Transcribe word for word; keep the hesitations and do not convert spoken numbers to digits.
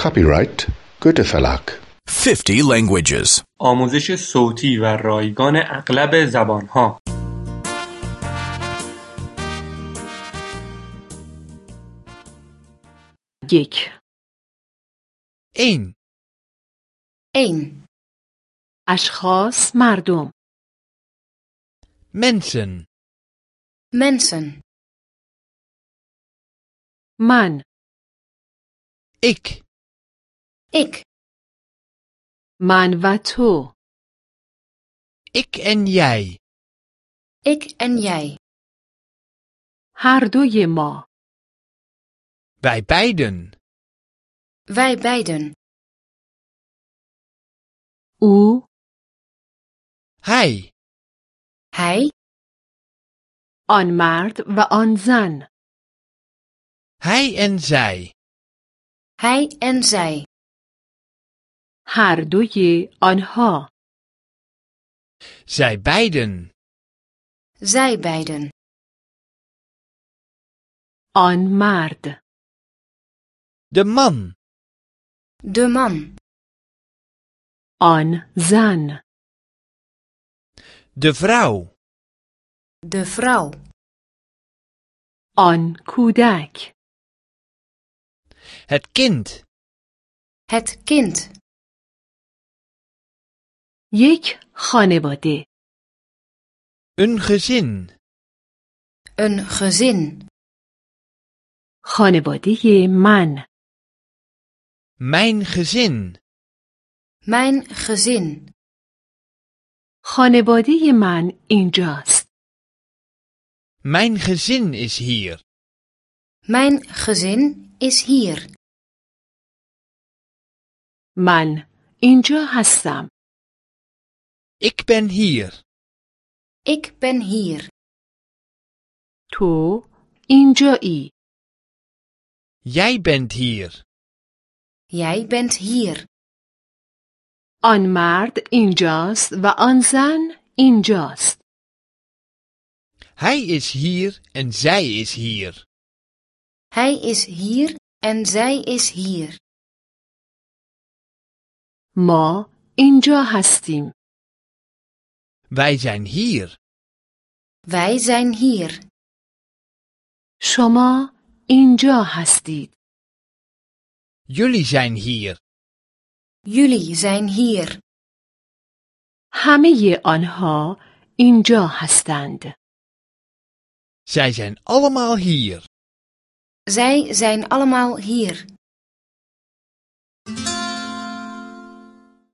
Copyright Goethe Verlag. fifty languages. آموزش صوتی و رایگان اغلب زبانها. یک. één. één. اشخاص، مردم. Mensen. Mensen. من. Ik. Ik. من و تو. Ik en jij. Ik en jij. هر دوی ما. Wij beiden. Wij beiden. او. Hij. Hij. آن مرد و آن زن. Hij en zij. Hij en zij. هر دوی آنها. Zij beiden. Zij beiden. آن مرد. De man. De man. آن زن. De vrouw. De vrouw. آن کودک. Het kind. Het kind. یک خانواده. Een gezin. Een gezin. خانواده من. Mijn gezin. Mijn gezin. خانواده من اینجاست. Mijn gezin is hier. Mijn gezin is hier. من اینجا هستم. Ik ben hier. Ik ben hier. تو اینجایی. Jij bent hier. Jij bent hier. آن مرد اینجاست و آن زن اینجاست. Hij is hier en zij is hier. Hij is hier en zij is hier. ما اینجا هستیم. Wij zijn hier. Wij zijn hier. شما اینجا هستید. Jullie zijn hier. Jullie zijn hier. همه آنها اینجا هستند. Zij zijn allemaal hier. Zij zijn allemaal hier.